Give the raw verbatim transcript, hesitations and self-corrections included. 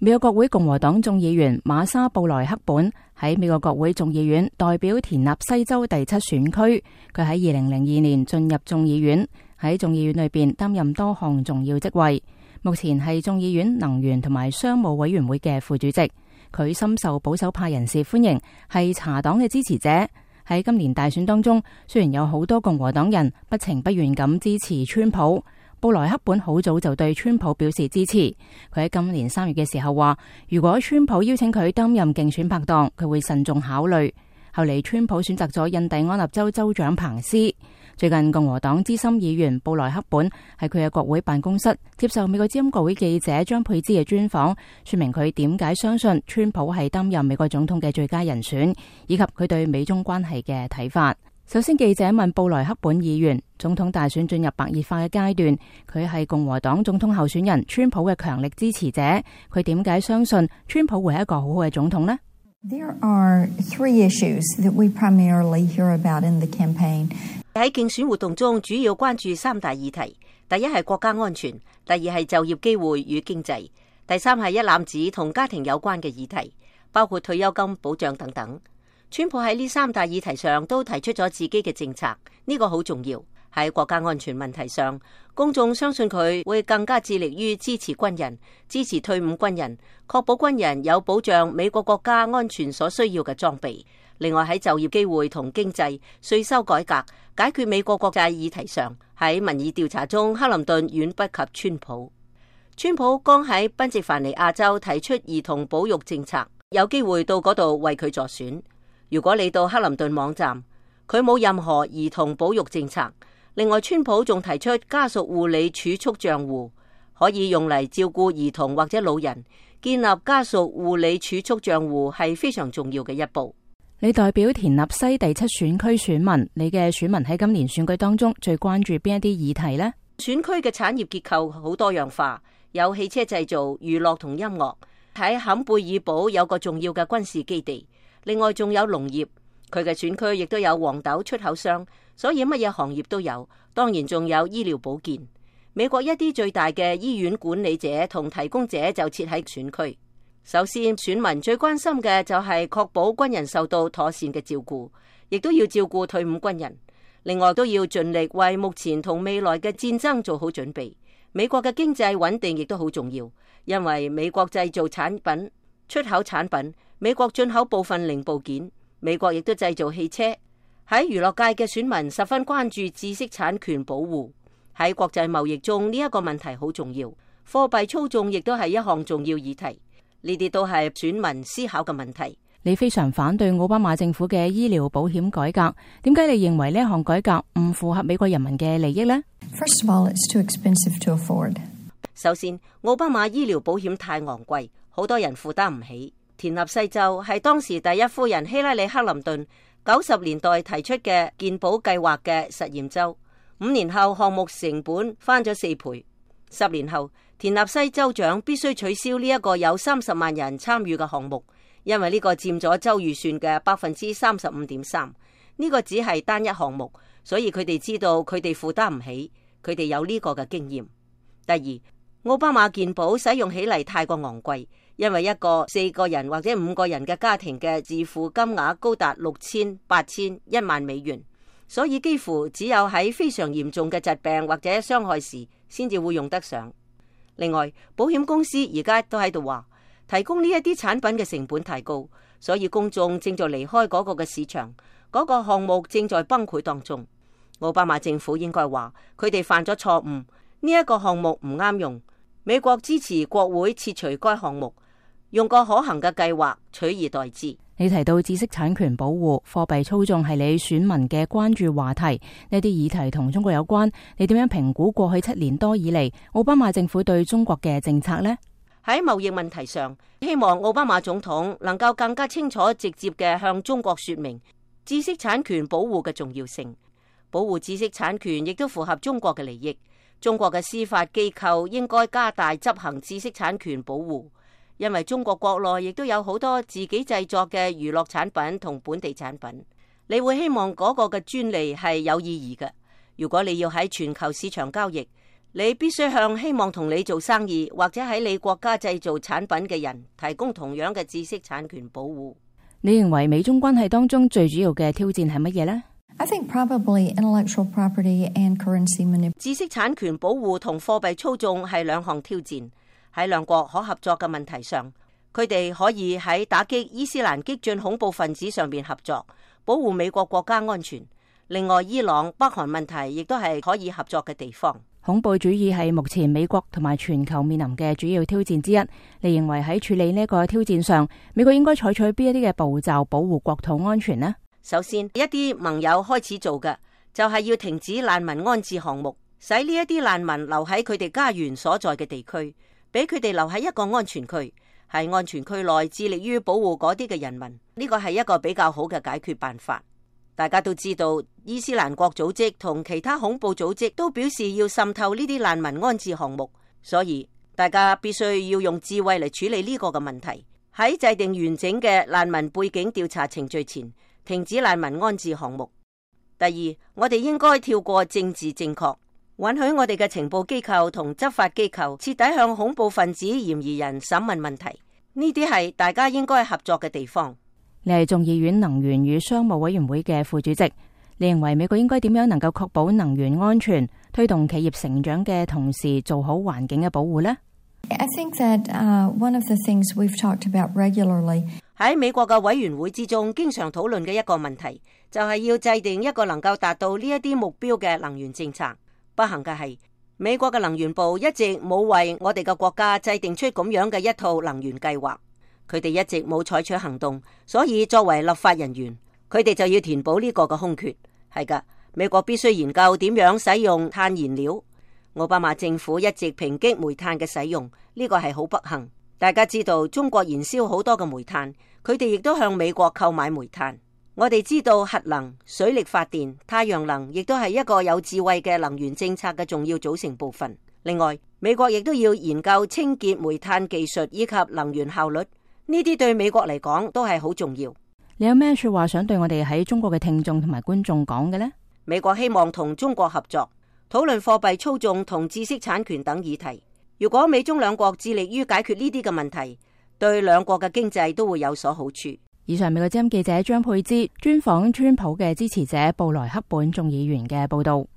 美國國會共和黨眾議員瑪莎布萊克本喺美國國會眾議院代表田納西州第七選區，佢喺二零零二年進入眾議院，喺眾議院裏邊擔任多項重要職位，目前係眾議院能源同埋商務委員會嘅副主席。佢深受保守派人士歡迎，係茶黨嘅支持者。喺今年大選當中，雖然有好多共和黨人不情不願咁支持川普，布萊克本好早就對川普表示支持。佢喺今年三月嘅時候話，如果川普邀請佢擔任競選拍檔，佢會慎重考慮。後嚟川普選擇咗印第安納州州長彭斯。最近共和黨資深議員布萊克本喺佢嘅國會辦公室接受美國之音國會記者張佩芝嘅專訪，說明佢點解相信川普係擔任美國總統嘅最佳人選，以及佢對美中關係嘅睇法。首先，記者問布萊克本議員，總統大選進入白熱化嘅階段，佢係共和黨總統候選人川普嘅強力支持者，佢點解相信川普會係一個好好嘅總統呢？ There are three issues that we primarily hear about in the campaign. 喺競選活動中，主要關注三大議題：第一係國家安全，第二係就業機會與經濟，第三係一攬子同家庭有關嘅議題，包括退休金保障等等。川普喺呢三大議題上都提出咗自己嘅政策，呢個好重要。喺國家安全問題上，公眾相信佢會更加致力於支持軍人、支持退伍軍人，確保軍人有保障美國國家安全所需要嘅裝備。另外喺就業機會同經濟、稅收改革、解決美國國債議題上，喺民意調查中，克林頓遠不及川普。川普剛喺賓夕凡尼亞州提出兒童保育政策，有機會到嗰度為佢助選。如果你到克林頓網站，佢冇任何兒童保育政策。另外，川普仲提出家屬護理儲蓄賬戶，可以用嚟照顧兒童或者老人。建立家屬護理儲蓄賬戶係非常重要嘅一步。你代表田納西第七選區選民，你嘅選民喺今年選舉當中最關注邊一啲議題呢？選區嘅產業結構好多樣化，有汽車製造、娛樂同音樂。喺坎貝爾堡有個重要嘅軍事基地。另外仲有農業，佢嘅選區亦都有黃豆出口商，所以乜嘢行業都有。當然仲有醫療保健。美國一啲最大嘅醫院管理者同提供者就設喺選區。首先，選民最關心嘅就係確保軍人受到妥善嘅照顧，亦都要照顧退伍軍人。另外都要盡力為目前同未來嘅戰爭做好準備。美國嘅經濟穩定亦都好重要，因為美國製造產品、出口產品，美國進口部分零部件，美國亦都製造汽車。喺娛樂界嘅選民十分關注知識產權保護。喺國際貿易中，呢一個問題好重要。貨幣操縱亦都係一項重要議題。呢啲都係選民思考嘅問題。你非常反對奧巴馬政府嘅醫療保險改革，點解你認為呢一項改革唔符合美國人民嘅利益呢？ First of all, it's too expensive to afford. 首先，奧巴馬醫療保險太昂貴，好多人負擔唔起。田納西州係當時第一夫人希拉里克林頓九十年代提出嘅健保計劃嘅實驗州，五年後項目成本翻咗四倍。十年後，田納西州長必須取消呢一個有三十萬人參與嘅項目，因為呢個佔咗州預算嘅百分之三十五點三。呢個只係單一項目，所以佢哋知道佢哋負擔唔起，佢哋有呢個嘅經驗。第二，奧巴馬健保使用起嚟太過昂貴，因為一個四個人或者五個人嘅家庭嘅自付金額高達六千、八千、一萬美元，所以幾乎只有喺非常嚴重嘅疾病或者傷害時先至會用得上。另外，保險公司而家都喺度話，提供呢一啲產品嘅成本太高，所以公眾正在離開嗰個嘅市場，嗰個項目正在崩潰當中。奧巴馬政府應該話，佢哋犯咗錯誤，呢一個項目唔啱用。美國支持國會撤除該項目，用個可行嘅計劃取而代之。你提到知識產權保護、貨幣操縱係你選民嘅關注話題，呢啲議題同中國有關，你點樣評估過去七年多以嚟奧巴馬政府對中國嘅政策呢？喺貿易問題上，希望奧巴馬總統能夠更加清楚直接嘅向中國說明知識產權保護嘅重要性。保護知識產權亦都符合中國嘅利益。中國嘅司法機構應該加大執行知識產權保護，因為中國國內亦都有好多自己製作嘅娛樂產品同本地產品。你會希望嗰個嘅專利係有意義嘅。如果你要喺全球市場交易，你必須向希望同你做生意或者喺你國家製造產品嘅人提供同樣嘅知識產權保護。你認為美中關係當中最主要嘅挑戰係乜嘢呢？ I think probably intellectual property and currency manipulation. 知識產權保護同貨幣操縱係兩項挑戰。喺兩國可合作嘅問題上，佢哋可以喺打擊伊斯蘭激進恐怖分子上面合作，保護美國國家安全。另外，伊朗、北韓問題亦都係可以合作嘅地方。恐怖主義係目前美國同埋全球面臨嘅主要挑戰之一。你認為喺處理呢個挑戰上，美國應該採取邊一啲嘅步驟保護國土安全呢？首先，一啲盟友開始做嘅就係要停止難民安置項目，使呢一啲難民留喺佢哋家園所在嘅地區，俾佢哋留喺一個安全區，喺安全區內致力於保護嗰啲嘅人民。呢個係一個比較好嘅解決辦法。大家都知道，伊斯蘭國組織同其他恐怖組織都表示要滲透呢啲難民安置項目，所以大家必須要用智慧嚟處理呢個嘅問題。喺制定完整嘅難民背景調查程序前，停止難民安置項目。第二，我哋應該跳過政治正確，允許我哋嘅情報機構同執法機構徹底向恐怖分子嫌疑人審問問題。呢啲係大家應該合作嘅地方。你係眾議院能源與商務委員會嘅副主席，你認為美國應該點樣能夠確保能源安全，推動企業成長嘅同時做好環境嘅保護呢？ I think that uh, one of the things we've talked about regularly 喺美國嘅委員會之中，經常討論嘅一個問題，就係要制定一個能夠達到呢一啲目標嘅能源政策。不幸嘅係，美國嘅能源部一直冇為我哋嘅國家制定出咁樣嘅一套能源計劃。佢哋一直冇採取行動，所以作為立法人員，佢哋就要填補呢個嘅空缺。係噶，美國必須研究點樣使用碳燃料。奧巴馬政府一直抨擊煤炭嘅使用，呢個係好不幸。大家知道中國燃燒好多嘅煤炭，佢哋亦都向美國購買煤炭。我哋知道核能、水力發電、太陽能亦都係一個有智慧嘅能源政策嘅重要組成部分。另外，美國亦都要研究清潔煤炭技術以及能源效率。呢啲對美國嚟講都係好重要。你有咩說話想對我哋喺中國嘅聽眾同埋觀眾講嘅呢？美國希望同中國合作，討論貨幣操縱同知識產權等議題。如果美中兩國致力於解決呢啲嘅問題，對兩國嘅經濟都會有所好處。以上美國之音記者張佩芝專訪川普嘅支持者布萊克本眾議員嘅報道。